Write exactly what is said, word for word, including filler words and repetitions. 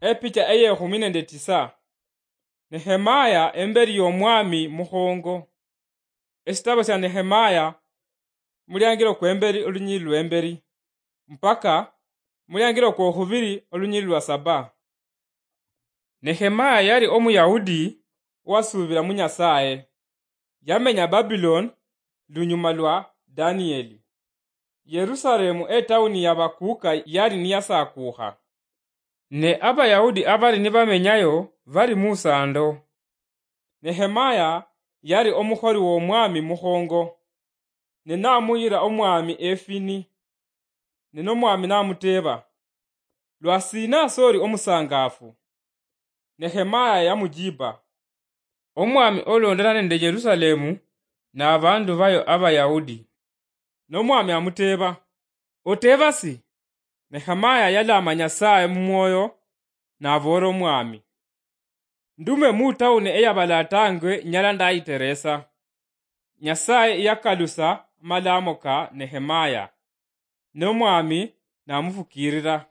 Epicha eyekhumi nende tisa. Nehemaya emberi yomwami mukhongo. Esitabo sia Nehemaya, muliangiro kwemberi olunyili lwemberi, mpaka muliangiro kwokhubiri olunyili lwa saba. Nehemaya yali Omuyahudi owasuubira mu Nyasaye. Yamenya Babylon lunyuma lwa Danieli. Yerusalemu etauni ya bakuuka yali niyasakuukha. Ne Abayahudi abali nibamenyayo bali musando. Nehemaya yali omukholi womwami mukhongo, ne namuyira omwami efini. Ne nomwami namuteeba, "Lwasina soli omusangafu?" Nehemaya yamujiba, "Omwami olondana nende Yerusalemu nabandu bayo Abayahudi." Nomwami amuteeba, "Oteeba si?" Nehemaya yalama Nyasaye mumwoyo, naboola omwami, "Ndume mutauni eyabalatangwe nyala ndayiteresa." Nyasaye yakalusa amalamo ka Nehemaya, nomwami namufukirira.